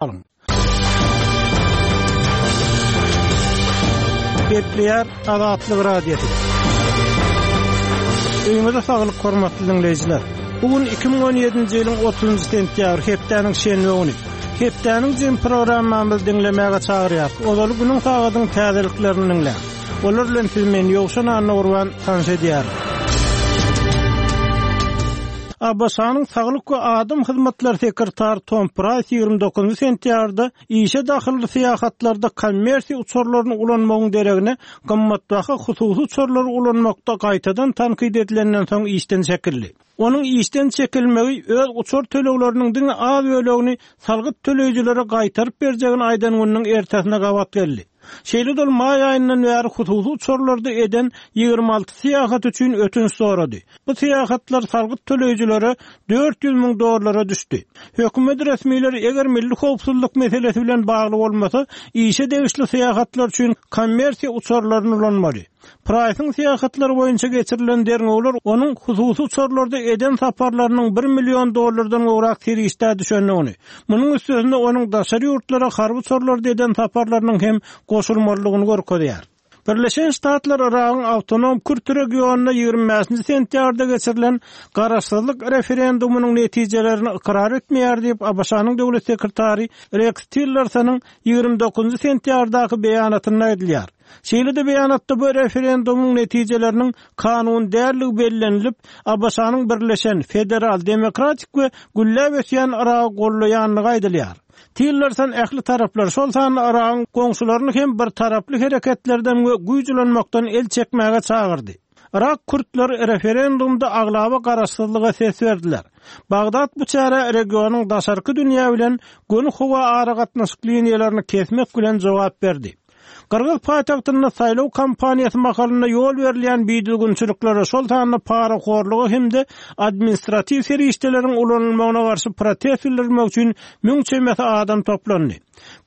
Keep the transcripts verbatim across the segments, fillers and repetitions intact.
Alyň. Gepleýär Azatlyk Radiosy. Öýüňize saglyk hormatly diňleýjiler. Bu gün iki müň on ýedinji ýylyň otuzynjy sentýabry, hepdäniň şenbe güni. Hepdäniň jem programmamyzy diňlemäge çagyrýarys. Ozaly günüň sagadyň täzeliklerini diňläň. Olar bilen siz men Ýowşan Annagurban tanyş edýärin. A B Ş-nyň Saglyk we Adam Hyzmatlary sekretary Tom Price ýigrimi dokuzynjy sentýabrda işe dahylly syýahatlarda kommersiýa uçarlaryny ulanmagyň deregine gymmatbaha hususy uçarlary ulanmakda gaýtadan tankyt edilenden soň işden çekildi. Onuň işden çekilmegi öz uçar tölegleriniň diňe az bölegini salgyt töleýjilere gaýtaryp berjegini aýdan gününiň ertesine gabat geldi. Şeýle dol maý aýyndan bäri hususy uçarlarda eden ýigrimi alty syýahat üçin ötünç sorady. Bu syýahatlar salgyt töleýjilere dört ýüz müň dollara düşdi. Hökümet resmileri eger milli howpsuzlyk meselesi bilen bagly bolmasa, işe degişli syýahatlar üçin kommersiýa uçarlaryny ulanmaly. Price'ın syýahatlary boýunça geçirilen derňewler onuň hususy uçarlarda eden saparlarynyň bir million dollardan gowrak serişdä düşendigini, munuň üstesinde onuň daşary ýurtlara harby uçarlarda eden saparlarynyň hem goşulmalydygyny görkezýär. Birleşen Ştatlar Yragyň awtonom Kürt regionynda ýigrimi bäşinji sentýabrda geçirilen garaşsyzlyk referendumynyň netijelerini ykrar etmeýär diýip A B Ş-nyň döwlet sekretary Rex Tillersonyň ýigrimi dokuzynjy sentýabrdaky beýanatynda aýdylýar. Şeýle-de beýanatda bu referendumyň netijeleriniň kanun dälligi bellenilip, A B Ş-nyň Birleşen Federal Demokratik we gülläp ösýän Yragy gollaýanlygy aýdylýar. Tillerson ähli taraplar, şol sanda Yragyň goňşularyny hem bir taraply hereketlerden we güýç ulanmakdan el çekmäge çagyrdy. Yrak kürtleri referendumda aglaba garaşsyzlyga ses berdiler. Bagdat bu çäre regionyň daşarky dünýä bilen göni howa aragatnaşyk liniýalaryny kesmek bilen jogap berdi. Gyrgyz paýtagtynda saýlaw kampaniýasy mahalynda ýol berilýän bidüzgünçiliklere, şol sanda parahorluga hem-de administratiw serişdeleriň ulanylmagyna garşy protest bildirmek üçin müň çemesi adam toplandy.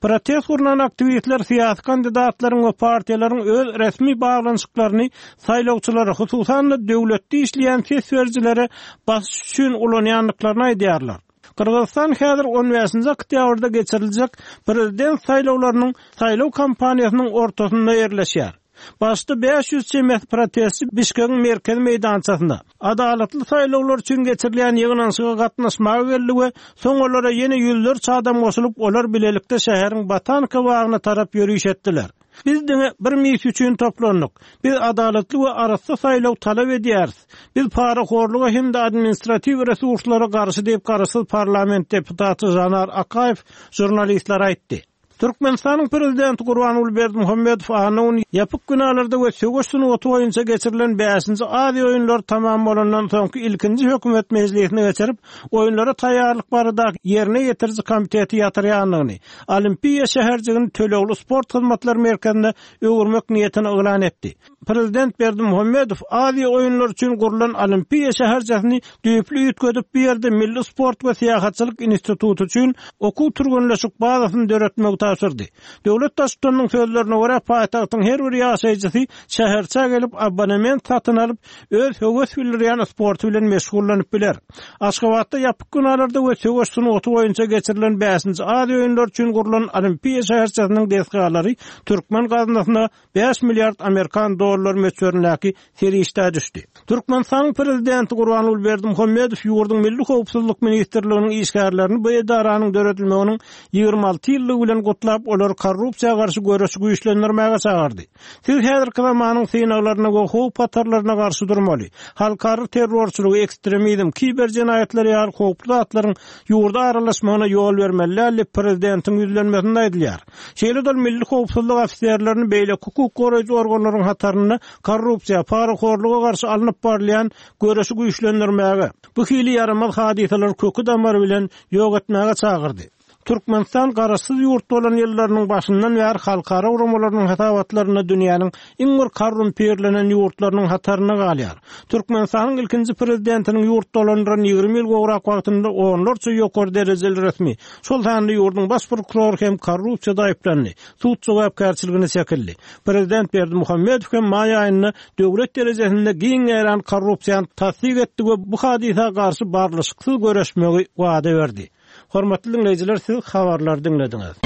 Protest gurnan aktiwistler syýasy kandidatlaryň we partiýalaryň öz resmi baglanyşyklaryny saýlawçylara, hususan-da döwletde işleýän ses berijilere basyş üçin ulanýandyklaryny aýdýarlar. Gyrgyzystan häzir on bäşinji oktýabrda geçiriljek prezident saýlawlarynyň saýlaw kampaniýasynyň ortasynda ýerleşýär. Başda bäş ýüz çemesi protestçi Bişkegiň merkezi meýdançasynda adalatly saýlawlar üçin geçirilýän ýygnanyşyga gatnaşmaga geldi we soň olara ýene ýüzlerçe adam goşulyp, olar bilelikde şäheriň Botanika bagyna tarap ýöriş etdiler. Biz diňe bir mis üçin toplandyk. Biz adalatly we arassa saýlaw talap edýäris. Biz parahorluga hem-de administratiw resurslara garşy diýip garaşsyz parlament deputaty Janar Akaýew žurnalistlere aýtdy. Türkmenistanyň prezidenti Gurbanguly Berdimuhamedow anna güni ýapyk binalarda we söweş sungaty boýunça geçirilen bäşinji Aziýa oýunlary tamam bolandan soňky ilkinji hökümet mejlisini geçirip, oýunlara taýýarlyk baradaky ýerine ýetiriji komiteti ýatyrýandygyny, Olimpiýa şäherjigini tölegli sport hyzmatlary merkezine öwürmek niýetini yglan etdi. Prezident Berdimuhamedow Aziýa oýunlary üçin gurlan Olimpiýa şäherçesini düýpli üýtgedip, bu ýerde Milli sport we syýahatçylyk instituty üçin okuw türgenleşik bazasyny döretmegi tabşyrdy. Döwlet baştutanynyň sözlerine görä, paýtagtyň her bir ýaşaýjysy şäherçä gelip abonement satyn alyp, öz höwes bildirýän sporty bilen meşgullanyp biler. Aşgabatda ýapyk binalarda we söweş sungaty boýunça geçirilen bäşinji Aziýa oýunlary üçin gurlan Olimpiýa şäherçesiniň desgalary türkmen gaznasyna bäş milliard amerikan dollar möçberindäki serişdä düşdi. Türkmenistanyň prezidenti Gurbanguly Berdimuhamedow ýurduň Milli Howpsuzlyk Ministrliginiň işgärlerini bu edaranyň döredilmeginiň ýigrimi alty ýyllygy bilen gutlap, olary korrupsiýa garşy göreşi güýçlendirmäge çagyrdy. Siz häzirki zamanyň synaglaryna we howp hatarlaryna garşy durmaly. Halkara terrorçylygy, ekstremizm, kiber jenaýatlary ýaly howply zatlaryň ýurda aralaşmagyna ýol bermeli däl diýip prezidentiň ýüzlenmesinde aýdylýar. Şeýle-de milli howpsuzlyk ofiserlerini beýleki hukuk goraýjy organlaryň hatarynda korrupsiýa, parahorluga garşy alnyp barylýan göreşi güýçlendirmäge, bu hili ýaramaz hadysalary köki damary bilen ýok etmäge çagyrdy. Türkmenistan garaşsyz ýurt bolan ýyllarynyň başyndan bäri halkara guramalarynyň hasabatlarynda dünýäniň iň bir korrumpirlenen ýurtlarynyň hatarynda galýar. Türkmenistanyň ilkinji prezidentiniň ýurt dolandyran ýigrimi ýyl gowrak wagtynda onlarça ýokary derejeli resmi, şol sanda ýurduň baş prokurory hem korrupsiýada aýyplandy, sud jogapkärçiligine çekildi. Prezident Berdimuhamedow hem maý aýynda döwlet derejesinde giň ýaýran korrupsiýany tassyk etdi we bu hadysa garşy barlyşyksyz göreşmegi wada berdi. Hormatly diňleýjiler, siz habarlary diňlediňiz.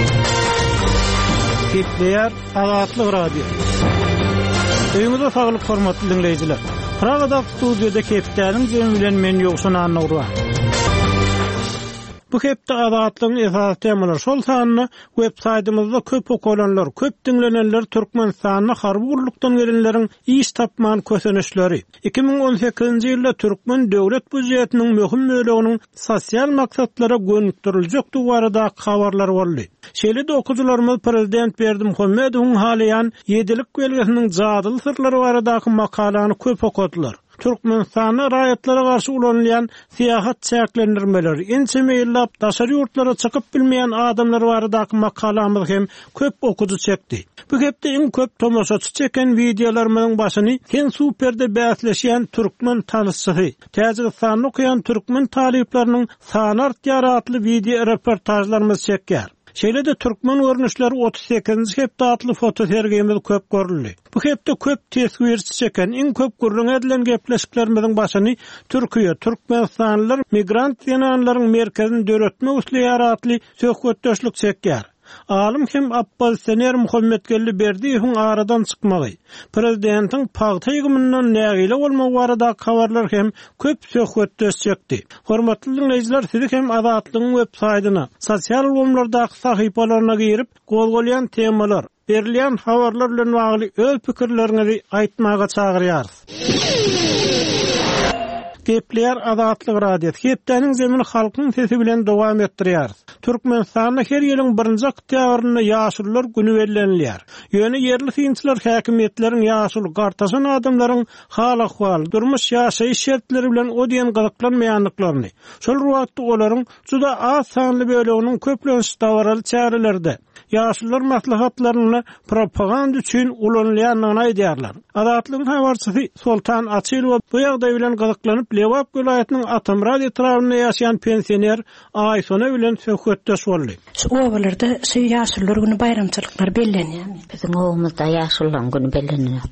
Gepleýär Azatlyk Radiosy. Öýüňize saglyk hormatly diňleýjiler. Pragadaky studiýada hepdäniň jemi bilen men Ýowşan Annagurban. Bu hepde Azatlygyň esasy temalary şol sanda web saýtymyzda köp okalanlar, köp diňlenenler Türkmenistanda harby gullukdan gelenleriň iş tapman kösenişleri. iki müň on sekizinji ýylda türkmen döwlet býujetiniň möhüm böleginiň sosial maksatlara gönükdiriljekdigi baradaky habarlar boldy. Şeýle-de okyjylarymyz Prezident Berdimuhamedowyň halaýan ýedilik belgesiniň jadyly syrlary baradaky makalany köp okadylar. Türkmenistanda raýatlara garşy ulanylýan syýahat çäklendirmeleri, ençeme ýyllap daşary ýurtlara çykyp bilmeýän adamlar baradaky makalamyz hem köp okyjy çekdi. Bu hepde iň köp tomaşaçy çeken wideolarymyzyň başyny Sen Super'de bäsleşýän türkmen tanışçysy, Täjigistanda okaýan türkmen talyplarynyň sany artýar atly wideo reportajlarymyz çekýär. Şeýle-de türkmen görnüşleri otuz sekizinji hepde atly fotosergimiz köp görüldi. Bu hepde köp teswirçi çeken, iň köp gürrüň edilen gepleşiklerimiziň başyny Türkiýe, Türkmenistanlylar migrant zenanlaryň merkezini döretmek isleýär atly söhbetdeşlik çekýär. Alym hem oppozisioner Muhammetgeldi Berdiýewiň aradan çykmagy, prezidentiň pagta ýygymyndan nägile bolmagy baradaky habarlar hem köp söhbetdeş çekdi. Hormatly diňleýjiler, sizi hem Azatlygyň web saýtyna, sosial ulgamlardaky sahypalaryna girip, gozgalýan temalar, berilýän habarlar bilen bagly öz pikirleriňizi aýtmaga çagyrýarys. Gepleýär Azatlyk Radiosy. Hepdäniň zemini halkyň sesi bilen dowam etdirýäris. Türkmenistanda her ýylyň birinji oktýabrynda ýaşulular günü bellenilýär. Ýöne ýerli synçylar häkimiýetleriň ýaşuly gartaşan adamlaryň hal-ahwal, durmuş ýaşaýyş şertleri bilen o diýen gyzyklanmaýandyklaryny, şol bir wagtda olaryň juda az sanly böleginiň köplenç dabaraly çärelerde, ýaşulular maslahatlarynda propaganda üçin ulanylýandygyny aýdýarlar. Azatlygyň habarçysy Soltan Açylowa bu ýagdaý bilen gyzyklanyp Lebap welaýatynyň Atamyrat etrabynda ýaşaýan pensioner Aýsona bilen söhbetdeş boldy. Şu obalarda şu ýaşulular günü baýramçylyklar bellenýärmi? Biziň obamyzda ýaşulular günü bellenýär.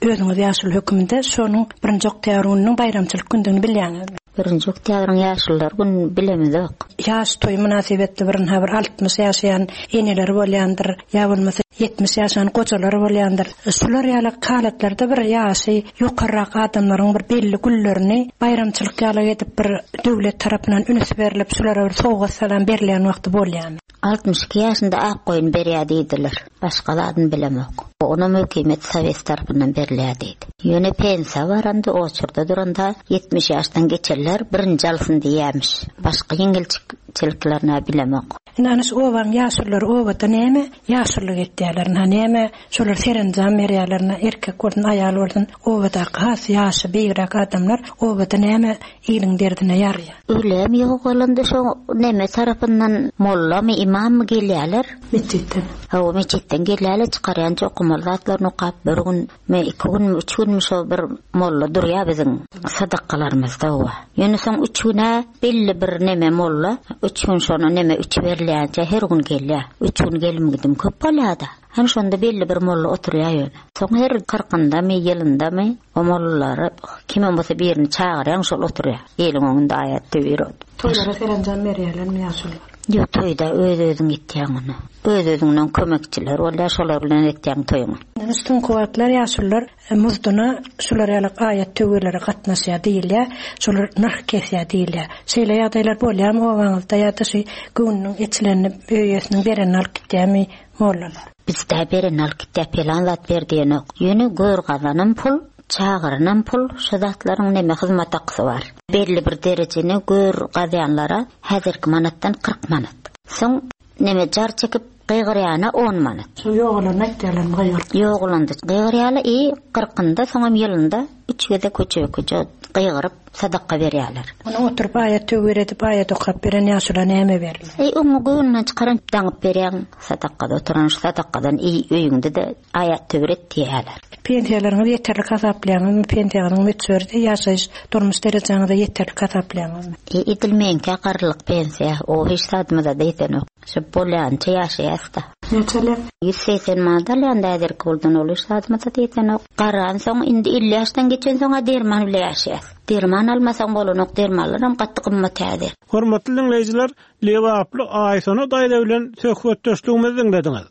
Özüňiz ýaşuly höküminde şonuň birinji oktýabr gününiň baýramçylyk gündügini bilýäňizmi? Birinji oktýabryň ýaşulular günü bilemizok. Ýaş toý mynasybetli bir habar altmyş ýaşaýan eneler bolýandyr, ýa bolmasa ýetmiş ýaşan gojalar bolýandyr. Şular ýaly halatlarda bir ýaşy ýokarrak adamlaryň bir belli güllerini baýramçylyk ýaly edip bir döwlet tarapyndan üns berilip, şulara bir sowgat salam berilýän wagty bolýan. Altmyş iki ýaşynda ak goýun berýär diýdiler. Başga zadyny bilemok. Onam hökümet sowet tarapyndan berilýär diýdi. Ýöne pensiýa baranda, oçurda duranda ýetmiş ýaşdan geçenler birinji alsyn diýýärmiş. Başga ýeňilçiliklerini bilemok. Indi şu obaň ýaşululary obada näme ýaşulyk etýärler, ha näme şolar serenjam berýärler, na erkek bolsun, aýal bolsun, obadaky has ýaşy beýigräk adamlar obada näme iliň derdine ýarýar. Ölem ýok bolanda şo näme tarapyndan mollamy, imammy gelýärler? Metjitden. Hawa, metjitden gelýärler, çykarýança okumaly zatlaryny okap, bir gün, me iki gün, üç gün şo bir molla durýar biziň sadakalarymyzda owa. Ýöne soň üç güne belli bir neme molla, üç gün şona neme üç berilýänçe her gün gelýär. Üç gün gelim gidim köp bolýar-da. Hem şonda belli bir molla oturýar ýöne. Soň her kyrkynda my, ýylynda my o mollalary kim bolsa birini çagyrýan şol oturýar. Eliň öňünde aýat töwir ot. Toýlara serenjam berýärlermi ýaşulylar? Ýok, toýda öz-özüň etýäň ony. Öz-özüňden kömekçiler bolýar, şolar bilen etýäň toýuňy. Soňky wagtlar ýaşulylar muzduna şular ýaly aýat töwirlere gatnaşýar diýilýär, şolar nyrh kesýär diýilýär. Şeýle ýagdaýlar bolýarmy obaňyzda ýa-da şu göwnüniň eçilenini öýesiniň berenini alyp gitýärmi mollalar? Bizde berenini alyp gitýär, pelan zat ber diýenok. Ýöne gör gazanan pul, çagyrynan pul, şu zatlaryň neme hyzmat haksy bar. Belli bir derejeni gör gazanlara häzirki manatdan kyrk manat. Soň neme jar çekip gygyrýana on manat. Şu ýogalarny aýtýarlarmy gygyryp? Ýogalanda gygyrýarlar, i kyrkynda, soňam ýylynda üç gezek köçe-köçe gygyryp sadaka berýärler. Ony oturyp aýat töwir edip aýat okap beren ýaşula näme berilýär? Ey, oňa göwnünden çykaran daňyp berýän sadakada oturan şu sadakadan i öýüňde-de aýat töwir et diýýärler. Pensiýalaryňyz ýeterlik hasaplaýaňyzmy? Pensiýaňyzyň möçberi ýaşaýyş durmuş derejeňize ýeterlik hasaplaýaňyzmy? E, edil meňkä garrylyk pensiýa, o hiç zadymyza da ýetenok. Şu bolýança ýaşaýas-da. Näçe alýaň? Ýüz segsen manat alýan da häzirki puldan ol hiç zadymyza ýetenok. Garansoň indi elli ýaşdan geçensoň-a derman bile ýaşaýas. Derman almasaň bolanok, dermanlaram gaty gymmat häzir. Hormatly diňleýjiler, Lebaply Aýsona daýza bilen söhbetdeşligimizi diňlediňiz.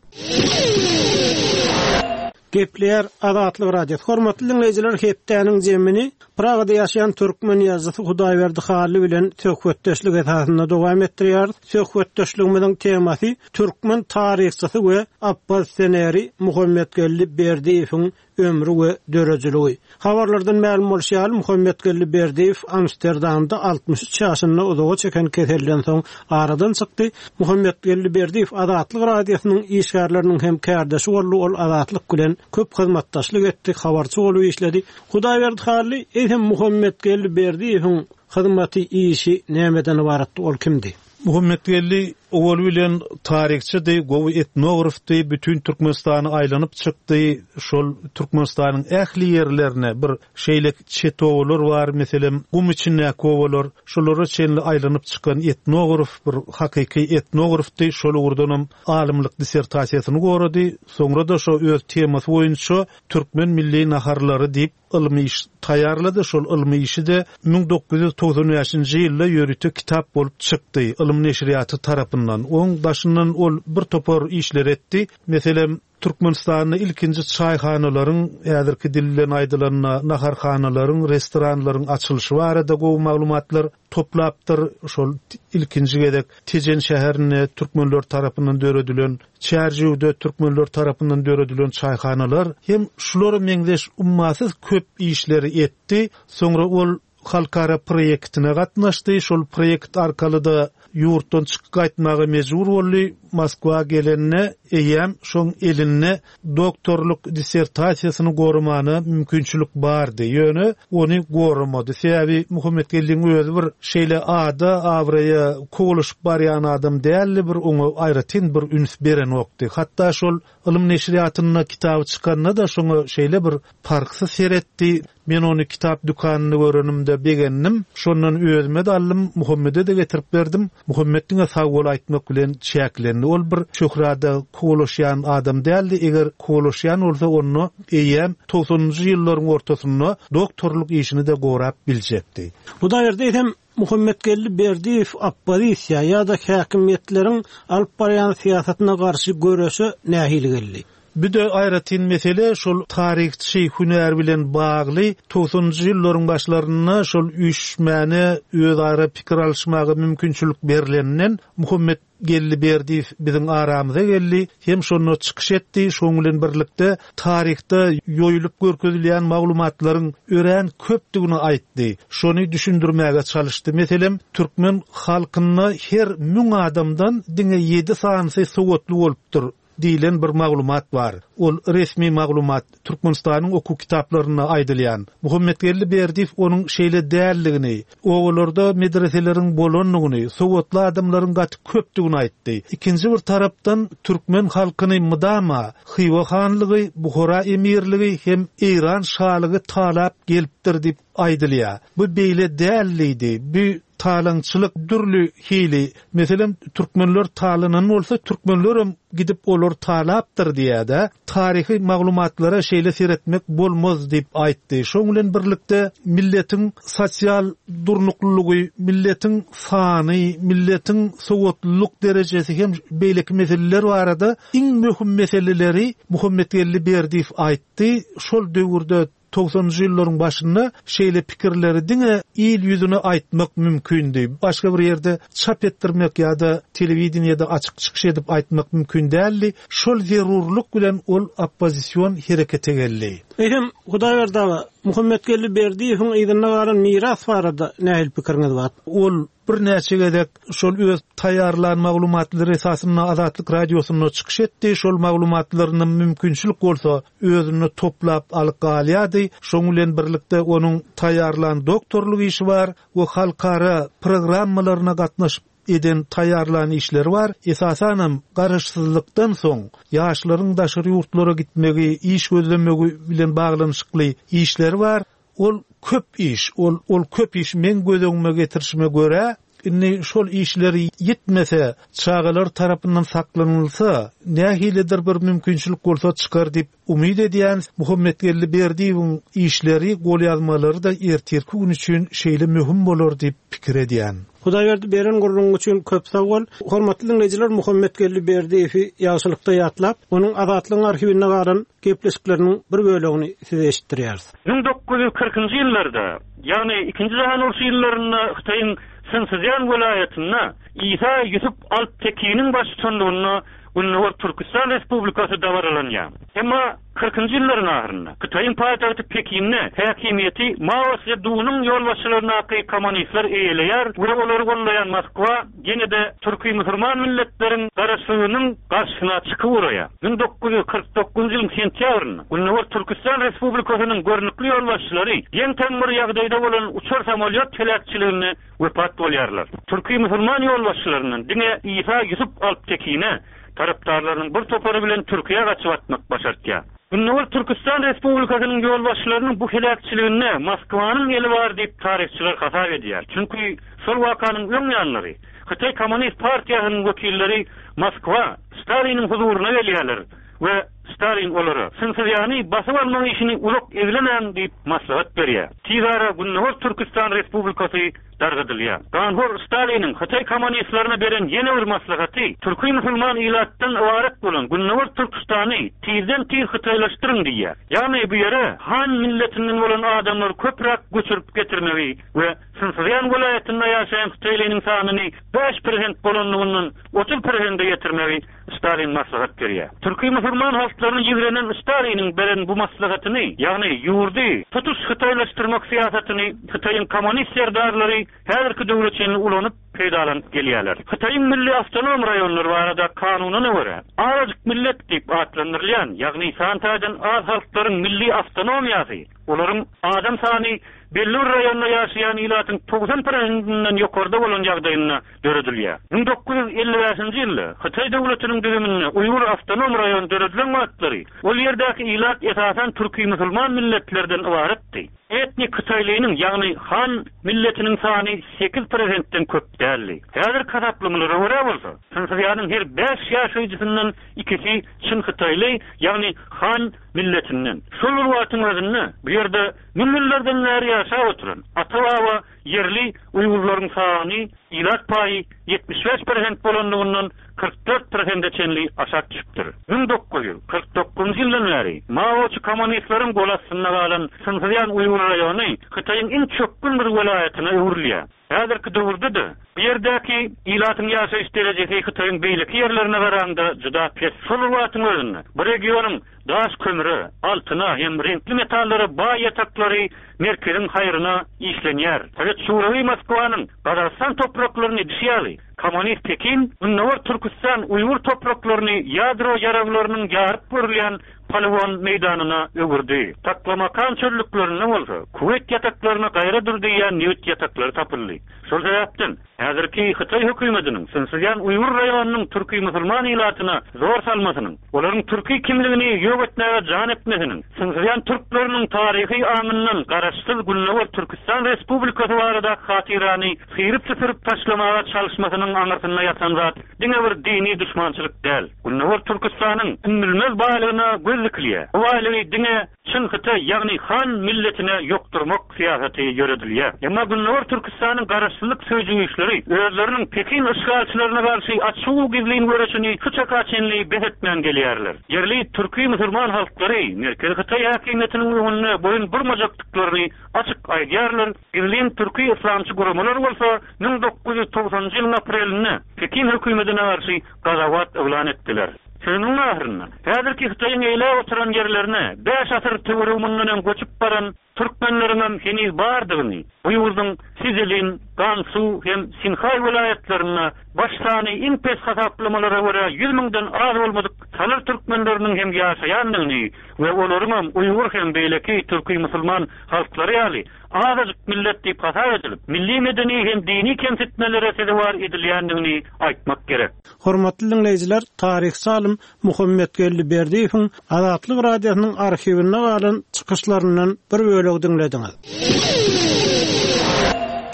Gepleýär Azatlyk Radiosy. Hormatly diňleýjiler, hepdäniň jemini Pragada ýaşaýan türkmen ýazyjysy Hudaýberdi Hally bilen söhbetdeşlik esasynda dowam etdirýäris. Söhbetdeşligimiziň temasy türkmen taryhçysy we oppozisioneri Muhammetgeldi Berdiýewiň ömri we döredijiligi. Habarlardan mälim bolşy ýaly, Muhammetgeldi Berdiýew Amsterdamda altmyş üç ýaşynda uzaga çeken keselden soň aradan çykdy. Muhammetgeldi Berdiýew Azatlyk Radiosynyň işgärleriniň hem kärdeşi boldy. Ol Azatlyk bilen köp hyzmatdaşlyk etdi, habarçy bolup işledi. Hudaýberdi Hally, eýsem Muhammetgeldi Berdiýewiň hyzmaty, işi nämeden ybaratdy, ol kimdi? Muhammetgeldi owal bilen taryhçydy, gowy etnografdy, bütün Türkmenistany aýlanyp çykdy. Şol Türkmenistanyň ähli ýerlerine bir şeýle çet obalar bar, meselem, gum içindäki obalar, şolara çenli aýlanyp çykan etnograf, bir hakyky etnografdy. Şol ugurdanam alymlyk dissertasiýasyny gorady. Soňra da şo öz temasy boýunça türkmen milli naharlary diýip ylmy iş taýýarlady. Şol ylmy işi de müň dokuz ýüz togsan bäşinji ýylda ýörite kitap bolup çykdy ylym neşirýaty tarapyndan. Oň daşyndan ol bir topar işler etdi. Meselem, Türkmenistanda ilkinji çaýhanalaryň, häzirki dil bilen aýdylanda naharhanalaryň, restoranlaryň açylyşy barada gowy maglumatlar toplapdyr. Şol ilkinji gezek Tejen şäherinde türkmenler tarapyndan döredilen, Çärjewde türkmenler tarapyndan döredilen çaýhanalar hem şulara meňzeş ummasyz köp işleri etdi. Soňra ol halkara proýektine gatnaşdy. Şol proýekt arkaly da ýurtdan çykyp gaýtmaga mejbur boldy. Moskwa gelende eýem şoň elinde doktorlyk dissertasiýasyny goramana mümkinçilik bardy. Ýöne ony goramady. Sebäbi Muhammetgeldiň özi bir şeýle ada abraýa kowalaşyp barýan adam däldi, bir oňa aýratyn bir üns beren wagty. Hatda şol ylym neşirýatynda kitaby çykanda da şoňa şeýle bir parhsyz seretdi. Men ony kitap dükanynda görenimde begendim. Şondan özüme de aldym, Muhammede de getirip berdim. Muhammed diňe sag bol aýtmak bilen çäklendi. Ol bir şöhrada kowalaşýan adam däldi. Eger kowalaşýan bolsa onda eýem togsanynjy ýyllaryň ortasynda doktorlyk işini de gorap biljekdi. Bu da ýerde hem Muhammetgeldi Berdiýew oppozisiýa ýa-da häkimiýetleriň alyp barýan syýasatyna garşy göreşe nähili geldi? Bir de aýratyn mesele şol taryhçy hünär bilen bagly togsanynjy ýyllaryň başlarynda şol üýşmäne özara pikir alyşmaga mümkinçilik berilenden Muhammetgeldi Berdiýew biziň aramyza geldi, hem şonda çykyş etdi. Şoň bilen birlikde taryhda ýoýulyp görkezilýän maglumatlaryň örän köpdügini aýtdy. Şony düşündirmäge çalyşdy. Meselem, türkmen halkynda her müň adamdan diňe ýedi sanysy sowatly bolupdyr diýilen bir maglumat bar. Ol resmi maglumat Türkmenistanyň okuw kitaplarynda aýdylýan. Muhammetgeldi Berdiýew onuň şeýle däldigini, obalarda medreseleriň bolandygyny, sowatly adamlaryň gaty köpdügini aýtdy. Ikinji bir tarapdan türkmen halkyny mydama Hywa hanlygy, Buhara emirligi hem Eýran şalygy talap gelipdir diýip aýdylýar. Bu beýle däldidi. Bu talaňçylyk dürli hili. Meselem, türkmenler talanan bolsa, türkmenlerem gidip olar talapdyr diýýär-de. Taryhy maglumatlara şeýle seretmek bolmaz diýip aýtdy. Şoň bilen birlikde milletiň sosial durnuklylygy, milletiň sany, milletiň sowatlylyk derejesi hem beýleki meseleler barada iň möhüm meseleleri Muhammetgeldi Berdiýew aýtdy. Şol döwürde togsanynjy ýyllaryň başynda şeýle pikirleri diňe il ýüzüne aýtmak mümkindi. Başga bir ýerde çap etdirmek ýa-da telewideniýede açyk çykyş edip aýtmak mümkin däldi. Şol zerurlyk bilen ol oppozision herekete geldi. Eýsem, Hudaýberdi aga, Muhammetgeldi Berdiýewiň yzynda galan miras barada nähili pikiriňiz bar? Ol birnäçe gezek şol öz taýýarlan maglumatlary esasynda Azatlyk radiosynda çykyş etdi. Şol maglumatlaryny mümkinçilik bolsa özünde toplap alyp galýardy. Şoň bilen birlikde onuň taýýarlan doktorlyk işi bar we halkara programmalaryna gatnaşyp eden taýýarlan işleri bar. Esasanam garaşsyzlykdan soň ýaşlaryň daşary ýurtlara gitmegi, iş gözlemegi bilen baglanyşykly işleri bar. Ol köp iş, ol, ol köp iş men göz öňüme getirişime görä Indi şol işleri ýitmese, çagalar tarapyndan saklanylsa, nähilidir bir mümkinçilik bolsa çykar diýip umyt edýän Muhammetgeldi Berdiýewiň işleri, golýazmalary-da ertirki gün üçin şeýle möhüm bolar diýip pikir edýän. Hudaýberdi beren gürrüň üçin köp sag bol. Hormatly diňleýjiler Muhammetgeldi Berdiýewi ýagşylykda ýatlap, onuň Azatlygyň arhiwinde galan gepleşikleriniň bir bölegini size eşitdirýäris. Müň dokuz ýüz kyrkynjy ýyllarda, ýagny ikinji jahan urşy ýyllarynda Hytaýyň Sinszýan welaýatynda Isa Ýusup Alptekiniň baştutanlygynda Gündogar Türküstan Respublikasy dabaralanýar. Emma kyrkynjy ýyllaryň ahyrynda Hytaýyň paýtagty Pekinde häkimiýeti Mao Szedunyň ýolbaşçylygyndaky kommunistler eýeleýär we olary gollaýan Moskwa ýene-de türki-musulman milletleriň garaşsyzlygynyň garşysyna çykyp uraýar. Müň dokuz ýüz kyrk dokuzynjy ýylyň sentýabrynda Gündogar Türküstan Respublikasynyň görnükli ýolbaşçylary geň-taň bir ýagdaýda bolan uçar samolýot heläkçiliginde wepat bolýarlar. Türki-musulman ýolbaşçylaryndan diňe Isa Ýusup Alptekine tarapdarlarynyň bir topary bilen Türkiýä gaçyp atmak başartýar. Gündogar Türküstan Respublikasynyň ýolbaşçylarynyň bu heläkçiliginde Moskwanyň eli bar diýip taryhçylar hasap edýär. Çünki şol wakanyň öň ýanlary Hytaý Kommunist partiýasynyň wekilleri Moskwa Staliniň huzuryna gelýärler we Stalin olara Sinszýany basyp almak işini uzak eglemäň diýip maslahat berýär. Tez ara Gündogar Türküstan Respublikasy dargadylýar. Ganhor Staliniň Hytaý kommunistlerine beren ýene bir maslahaty türki musulman ilatdan ybarat bolan Gündogar Türküstany tizden tiz hytaýlaşdyryň diýýär. Ýagny bu ýere Han milletinden bolan adamlar köpräk göçürip getirmegi we Sinszýan welaýatynda ýaşaýan Hytaýlynyň sanyny bäş prosent bolanlygyndan otuz prosente getirmegi Stalin maslahat berýär. Türki musulman halklaryny ýigrenen Staliniň beren bu maslahatyny, ýagny ýurdy tutuş hytaýlaşdyrmak syýasatyny Hytaýyň kommunist serdarlary häzirki döwre çenli ulanyp peýdalanyp gelýärler. Hytaýyň milli awtonom raýonlary barada kanunyna görä, azajyk millet diýip atlandyrylýan, ýagny san taýdan az halklaryň milli awtonomiýasy, olaryň adam sany belli bir raýonda ýaşaýan ilatyň togsan prosentinden ýokarda bolan ýagdaýynda döredilýär. Müň dokuz ýüz elli bäşinji ýylda Hytaý döwletiniň düzüminde Uýgur awtonom raýony döredilen wagtlary ol ýerdäki ilat esasan türki musulman milletlerden ybaratdy. Etnik Hytaýlynyň, ýagny Han milletiniň sany sekiz prosentden köp däldi. Häzirki hasaplamalara görä bolsa, Sinszýanyň her bäş ýaşaýjysyndan ikisi çyn Hytaýly, ýagny Han milletinden. Şol bir wagtyň özünde bu ýerde müň ýyllardan bäri ýaşap oturan ata-baba ýerli Uýgurlaryň sany ilat paýy ýetmiş bäş prosent bolanlygyndan kyrk dört prosente çenli aşak düşüpdir. Müň dokuz ýüz kyrk dokuzynjy ýyldan bäri Maoçy kommunistleriň gol astynda galan Sinszýan Uýgur raýony Hytaýyň iň çökgün bir welaýatyna öwrülýär. Häzirki döwürde-de bu ýerdäki ilatyň ýaşaýyş derejesi Hytaýyň beýleki ýerlerine garanda juda pes. Şol bir wagtyň özünde bu regionyň daş kömüre, altyna hem reňkli metallara baý ýataklary merkeziň haýryna işlenýär. Sowet Şurawy Moskwanyň Gazagystan topraklaryny edişi ýaly, Kommunist Pekin Gündogar Türküstan Uýgur topraklaryny ýadro ýaraglarynyň ýaryp görülýän poligon meýdanyna öwürdi. Taklamakan çöllüklerinde bolsa Kuweýt ýataklaryna gaýra dur diýýän nebit ýataklary tapyldy. Şol sebäpden häzirki Hytaý hökümetiniň Sinszýan Uýgur raýonynyň türki musulman ilatyna zor salmasynyň, olaryň türki kimligini ýok etmäge jan etmesiniň, Sinszýan türkleriniň taryhy aňyndan garaşsyz Gündogar Türküstan Respublikasy barada hatyrany syryp-süpürip taşlamaga çalyşmasynyň aňyrsynda ýatan zat diňe bir dini düşmançylyk däl. Gündogar Türküstanyň ümmülmez baýlygyna göz dikilýär. Bu baýlygy diňe Çyn Hytaý, ýagny Han milletine ýokdurmak syýasaty ýöredilýär. Emma Gündogar Türküstanyň garaşsyzlyk söýüji güýçleri özleriniň Pekin işgalçylaryna garşy açyk gizlin göreşini şu çaka çenli bes etmän gelýärler. Ýerli türki musulman halklary Merkezi Hytaý häkimiýetiniň öňünde boýun burmajakdyklaryny açyk aýdýarlar. Gizlin türki islamçy guramalar bolsa müň dokuz ýüz togsanynjy ýylyň aprelinde Pekin hökümetine garşy gazawat yglan etdiler. Sözüniň ahyrynda häzirki Hytaýyň eýläp oturan ýerlerine bäş asyr töweregi mundan öň göçüp baran türkmenleriň hem heniz bardygyny, bu ýurduň Sizelin, Gansu hem Sinhaý welaýatlarynda baş sany iň pes hasaplamalara görä ýüz müňden az bolmadyk salyr türkmenleriniň hem ýaşaýandygyny we olaryň hem Uýgur hem beýleki türki musulman halklary ýaly azajyk millet diýip hasap edilip, milli medeni hem dini kemsitmelere sezewar edilýändigini aýtmak gerek. Hormatly dinleýjiler, taryhçy alym Muhammetgeldi Berdiýewiň Azatlyk radiosynyň arhiwinde galan çykyşlaryndan bir bölegi diňlediňiz.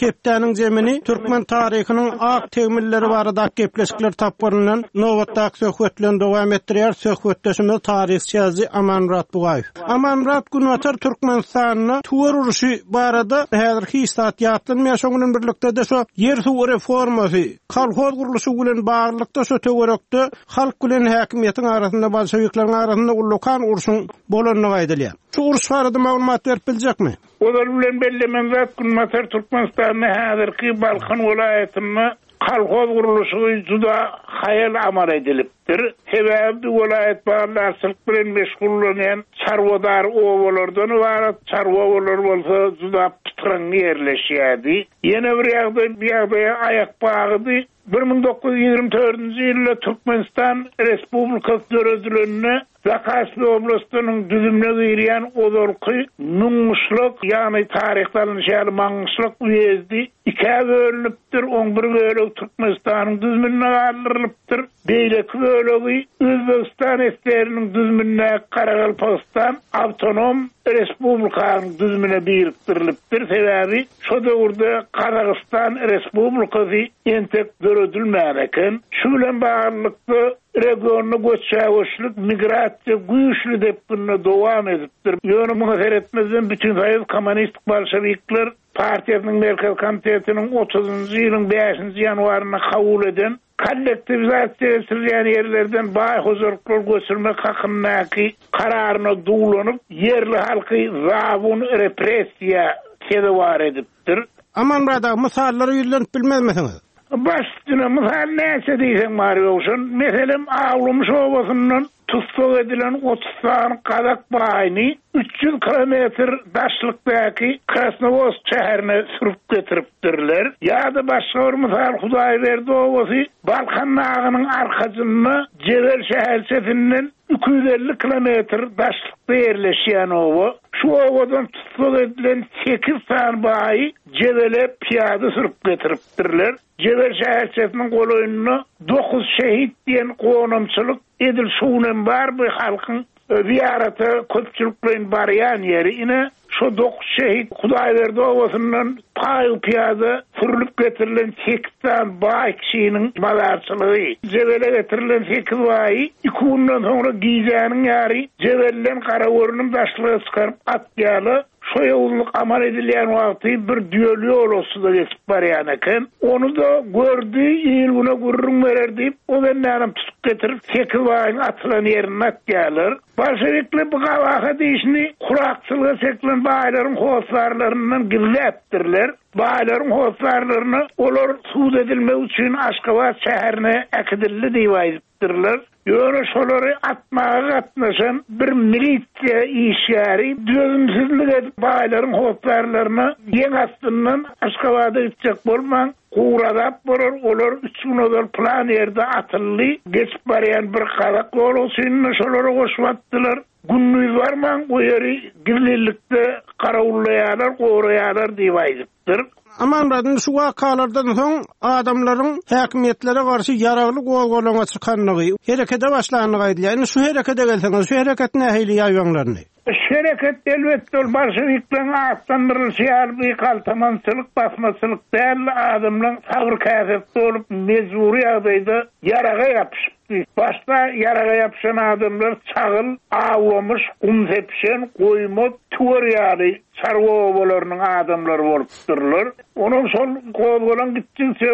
Hepdäniň zemini türkmen taryhynyň ak tegmilleri barada gepleşikler tapgyryndan nobatdaky söhbet bilen dowam etdirýär. Söhbetdeşimiz taryhçy ýazyjy Amanmyrat Bugaýew. Amanmyrat Günbatar Türkmenistanda tuwar uruşy barada häzir hiç zat ýatlanmaýar. Şonuň bilen birlikde de şu ýer suw reformasy, kolhoz gurluşy bilen baglylykda şu töwerekde halk bilen häkimiýetiň arasynda bolşewikleriň arasynda ullakan urşuň bolandygy aýdylýar. Şu uruş barada maglumat berip biljekmi? Ozal bilen bellemen zat Günbatar Türkmenistanda häzirki Balkan welaýatynda kolhoz gurluşygy juda haýal amal edilipdir. Sebäbi bu welaýat baglarçylyk bilen meşgullanýan çarwadar obalardan ibarat, çarwa obalar bolsa juda pytraňňy ýerleşýärdi. Ýene bir ýagdaý, bir ýagdaýa aýak bagydy. bir müň dokuz ýüz ýigrimi dördünji ýylda Türkmenistan Respublikasy döredilende Zakaspi oblastynyň düzümine girýän ozalky Müňgyşlak, ýagny taryhda alynşy ýaly Maňgyşlak uýezdi ikä bölünipdir, oň bir bölegi Türkmenistanyň düzümine galdyrylypdyr, beýleki bölegi Özbegistan S S R'niň düzüminde Karagalpagystan Awtonom Respublikanyň düzümine birikdirilipdir. Sebäbi şo döwürde Gazagystan Respublikasy entek döredilmän eken. Şu bilen baglylykda regionda göçe-göçlük, migrasiýa güýçli depginde dowam edipdir. Ýöne muňa seretmezden Bütinsoýuz Kommunistik Bolşevikler Partiýasynyň Merkez Komitetiniň otuzynjy ýylyň bäşinji ýanwarynda kabul eden kollektiwizasiýa geçirilýän ýerlerden baý hojalyklar göçürmek hakyndaky kararyna duwlanyp, ýerli halky zabun repressiýa sezewar edipdir. Amanmyrat aga, mysallara ýüzlenip bilmezmisiňiz? Baş üstüne mysal näçe diýseň bar ýogşan. Meselem, Awlumyş obasyndan tussag edilen otuz sany gazak baýyny üç ýüz kilometr daşlykdaky Krasnowodsk şäherine sürüp getiripdirler. Ýa-da başga bir mysal, Hudaýberdi obasy Balkan dagynyň arkasynda Jebel şäherçesinden iki ýüz elli kilometr daşlykda ýerleşýän oba. Şu obadan tussag edilen sekiz sany baýy Jebele piýada sürüp getiripdirler. Jebel şäherçesiniň golaýynda dokuz şehit diýen gonamçylyk edil şunem bar bu halkyň ziýarata köpçülikleýin barýan ýeri. Ine şu dokuz şehit Hudaýberdi obasyndan paý piýada sürülip getirilen sekiz sany baý kişiniň mazarçylygy. Jebele getirilen sekiz baýy iki günden soňra gijäniň ýary Jebelden Garagörnüm daşlyga çykaryp atýarlar. Şo ýowuzlyk amal edilýän wagty bir düýeli ýolagçy-da geçip barýan eken. Ony da gördi, il güne gürrüň berer diýip, o bendänem tutup getirip sekiz baýyň atylan ýerine atýarlar. Bolşevikler bu gabahat işini kurakçylyga çekilen baýlaryň hoslarlaryndan gizläpdirler. Baýlaryň hoslarlaryna olar sud edilmek üçin Aşgabat şäherine äkidildi diýip aýdypdyrlar. Ýöne şolary atmaga gatnaşan bir milisiýa işgäri dözümsizlik edip baýlaryň hoslarlaryna ýeň astyndan Aşgabada gitjek bolman guradap bolar, olar üç gün ozal plan ýerde atyldy. Geçip barýan bir gazak ýolagçyny şolara goşup atdylar. Gündiz barman o ýeri gizlilikde garawullaýarlar, goraýarlar diýip aýdypdyr. Amanmyrat, indi şu wakalardan soň adamlaryň häkimiýetlere garşy ýaragly gozgalaňa çykanlygy, herekete başlandygy aýdylýar. Indi şu herekete gelseňiz, şu hereket nähili ýaýbaňlandy? Şu hereket elbetde ol bolşewikleriň atlandyrylyşy ýaly bir galtamançylyk, basmaçylyk däl, adamlaryň sabyr käsesi bolup mejbury ýagdaýda ýaraga ýapyşypdy. Başda ýaraga ýapyşan adamlar çagyl, awlamyş, gum sepişen, goýma, tüwer ýaly çarwa obalarynyň adamlary bolupdyrlar. Onuň şol gozgalan gitdikçe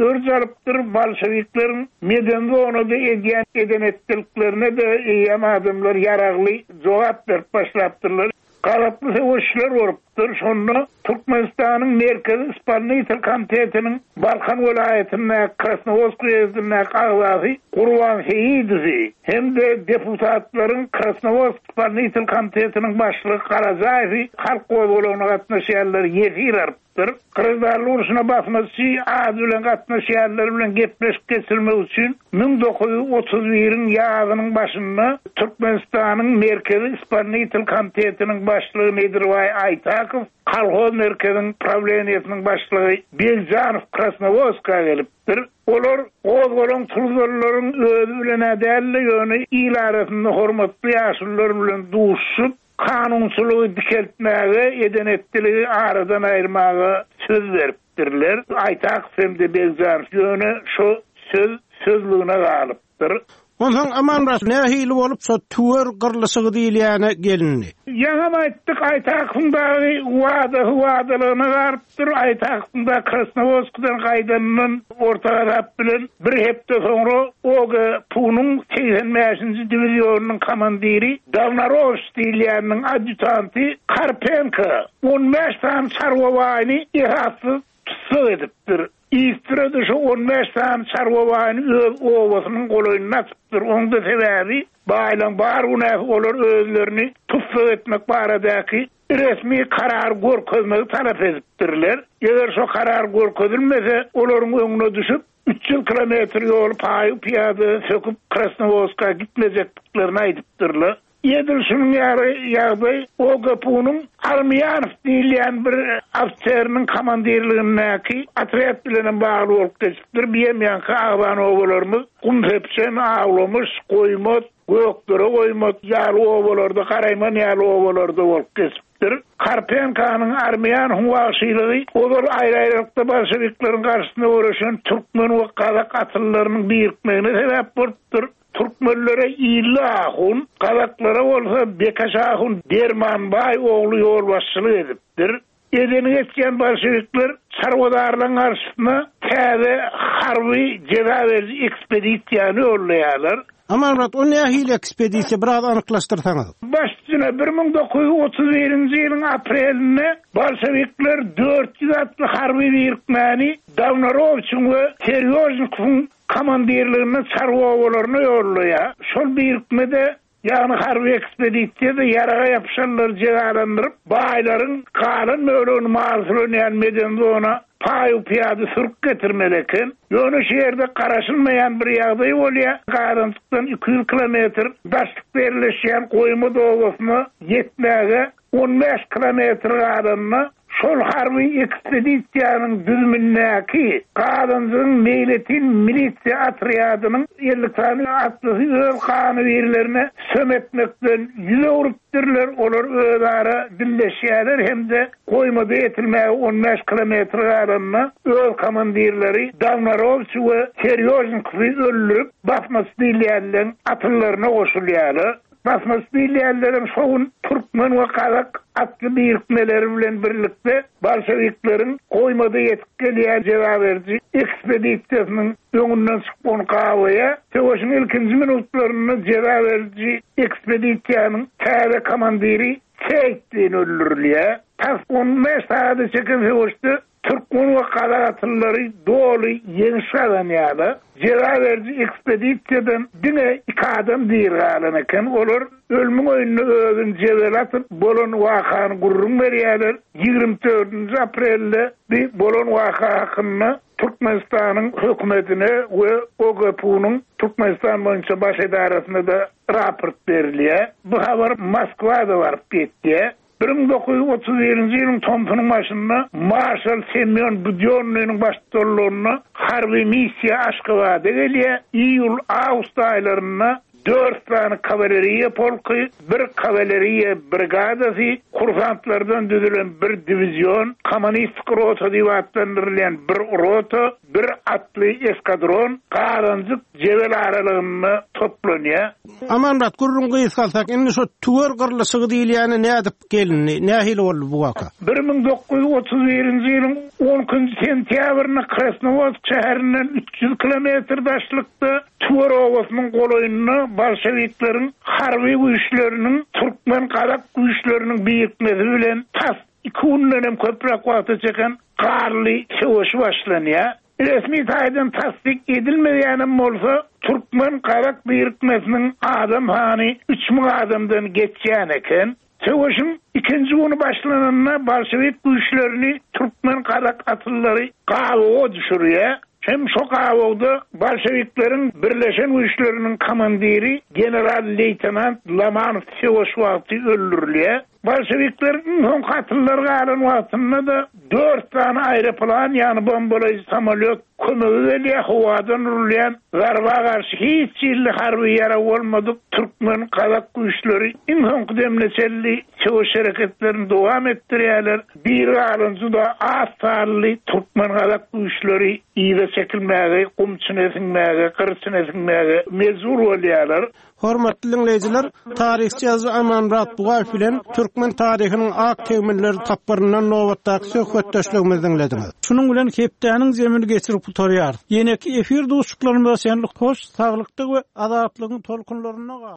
örç alypdyr, bolşewikleriň meden zonada edýän eden etdiliklerine de eýýäm adamlar ýaragly jogap berip başlapdyrlar. Gazaply söweşler bolupdyr. Şonda Türkmenistanyň Merkezi Ispalnitel Komitetiniň Balkan welaýatyndaky Krasnowodsk uýezdindäki agzasy Gurban Seýidowy hem-de deputatlaryň Krasnowodsk Ispalnitel Komitetiniň başlygy Garajaýewi halk gozgalaňyna gatnaşýanlar ýesir alypdyr. Graždanlyk urşuna basmaçy ady bilen gatnaşýanlar bilen gepleşik geçirmek üçin müň dokuz ýüz otuz biriň ýazynyň başynda Türkmenistanyň Merkezi Ispalnitel Komitetiniň başlygy Nedirbaý Aýtakow, Kolhoz merkeziniň prawleniýesiniň başlygy Begjanow Krasnowodska gelipdir. Olar gozgalaň turzanlaryň özi bilen däl-de, ýöne il arasynda hormatly ýaşulular bilen duşup, kanunçylygy dikeltmäge, eden etdiligi aradan aýyrmaga söz beripdirler. edipdirler. Aýtakow hem-de Begjanow ýöne şo söz sözlügine galypdyr. Onsoň Amanmyrat nähili bolup şo tüwer gyrlyşygy diýilýäne gelindi? Ýaňam aýtdyk, Aýtakowyň dagy wadasy wadalygyna galypdyr. Aýtakowyň da Krasnowodskdan gaýdanyndan orta garap bilen bir hepde soňra O G P U-nyň segsen bäşinji diwizionynyň komandiri Dawnarowiç diýilýäniniň adýutanty Karpenko on bäş sany çarwa baýyny esassyz tussag edipdir. Üstüne şu on bäş sany çarwa baýyny öz obasynyň golaýynda atypdyr. Oň da sebäbi baýlaň bar günäsi olar özlerini tussag etmek baradaky resmi karar görkezmegi talap edipdirler. Eger şo karar görkezilmese, olaryň öňüne düşüp üç ýüz kilometr ýoly paýy piýada söküp Krasnowodska gitmejekdiklerini aýdypdyrlar. Edil şunuň ýaly ýagdaý O G P U-nyň Armiýanow diýilýän bir ofiseriniň komandirligindäki otrýad bilen hem bagly bolup geçipdir. Biýem ýaňky agzan obalarymyz Gumsepçen, Awlamyş, Goýmat, Gökdere Goýmat ýaly obalarda, Garaýman ýaly obalarda bolup geçipdir. Karpenkanyň Armiýanowyň wagşylygy ozal aýry-aýrylykda bolşewikleriň garşysyna göreşen türkmen we gazak atlylarynyň birikmegine sebäp bolupdyr. Türkmenlere Illi Ahun, gazaklara bolsa Bekaş Ahun Dermanbaý ogly ýolbaşçylyk edipdir. Edeni geçýän bolşewikler çarwadarlaryň garşysyna täze harby jeza beriji ekspedisiýany ýollaýarlar. Amanmyrat, o nähili ekspedisiýa biraz anyklaşdyrsaňyz? Baş üstüne bir müň dokuz ýüz otuz birinji ýylyň aprelinde bolşewikler dört ýüz atly harby birikmäni Dawnarowiçiň we Serýožnikowyň komandirliginde çarwa obalaryna ýollaýar. Şol birikmede, ýagny harby ekspedisiýada ýaraga ýapyşanlary jezalandyryp, baýlaryň galan bölegini mal sürünýän meden zona paýu piýada sürüp getirmeli eken. Ýöne şu ýerde garaşylmaýan bir ýagdaý bolýar. Gazançykdan iki ýüz kilometr daşlykda ýerleşýän Goýma obasyna ýetmäge on bäş kilometr galanda şol harby ekspedisiýanyň düzümindäki Gazanjygyň meýletin milisiýa otrýadynyň elli sany atlysy öz ganybirlerine söm etmekden ýüz öwrüpdirler. Olar özara dilleşýärler hem-de Goýmada ýetilmäge on bäş kilometr galanda öz komandirleri Dawnarowiç we Serýožnikowy öldürip, basmaçy diýilýänleriň atyllaryna goşulýarlar. Basmaçy diýilýänleriň şo gün türkmen we gazak atly birikmeleri bilen birlikde bolşewikleriň Goýmada ýetip gelýän jeza beriji ekspedisiýasynyň öňünden çykyp ony gawaýa. Söweşiň ilkinji minutlarynda jeza beriji ekspedisiýanyň täze komandiri Seýitdin öldürilýär. Tas on bäş saada çeken söweşde türkmen we gazak atlylary doly ýeňiş gazanýarlar. Jeza beriji ekspedisiýadan diňe iki adam diri galan eken. Olar ölümiň öňünde özüni jebel atyp bolan wakany gürrüň berýärler. Ýigrimi dördünji aprelde bir bolan waka hakynda Türkmenistanyň hökümetine we O G P U-nyň Türkmenistan boýunça baş edarasyna da raport berilýär. Bu habar Moskwada baryp ýetýär. Bir müň dokuz ýüz otuz birinji ýylyň tomsunyň başynda Marşal Semyon Budýonnynyň baştutanlygynda harby missiýa Aşgabada gelýär. Iýul awgust aýlarynda dört sany kawaleriýa polky, bir kawaleriýa brigadasy, kursantlardan düzülen bir diwizion, kommunistik rota diýip atlandyrylýan bir rota, bir atly eskadron Gazanjyk jebel aralygynda toplanýar. Amanmyrat, gürrüň gysgalsak, indi şu tüwer gyrlyşygy diýilýäni nädip gelindi? Nähili boldy bu waka? Bir müň dokuz ýüz otuz birinji ýylyň on ikinji sentýabrynda Krasnowodsk şäherinden üç ýüz kilometr daşlykda Tüwer obasynyň golaýynda bolşewikleriň harby güýçleriniň türkmen gazak güýçleriniň birikmesi bilen tas iki günden hem köpräk wagta çeken garly söweşi başlanýar. Resmi taýdan tasdik edilmeýänem bolsa, türkmen gazak birikmesiniň adam hany üç müň adamdan geçýän eken. Söweşiň ikinji güni başlananda bolşewik güýçlerini türkmen gazak atlylary gabawa düşürýär. Hem şo gabawda bolşewikleriň birleşen güýçleriniň komandiri general leýtenant Lamanow söweş wagty öldürilýär. Bolşewikleriň iň soňky atlylary galan wagtynda da Dört sany aeroplan, ýagny bombalaýjy samolýot kömege gelýär, howadan urulýan zarba garşy hiç hili harby ýarag bolmadyk türkmen gazak güýçleri iň soňky demine çenli söweş hereketlerini dowam etdirýärler. Bir galan juda az sanly türkmen gazak güýçleri yza çekilmäge, gum içine siňmäge, gyr içine siňmäge mejbur bolýarlar. Hormatly diňleýjiler, taryhçy ýazyjy Amanmyrat Bugaýew bilen türkmen taryhynyň ak tegmilleri tapgyryndan nobatdaky söhbetdeşligimizi diňlediňiz. Şunuň bilen hepdäniň zemini geçirip gutarýarys. Ýeneki efir duşuşyklarymyza çenli hoş, saglykda we azatlygyň tolkunlarynda galyň.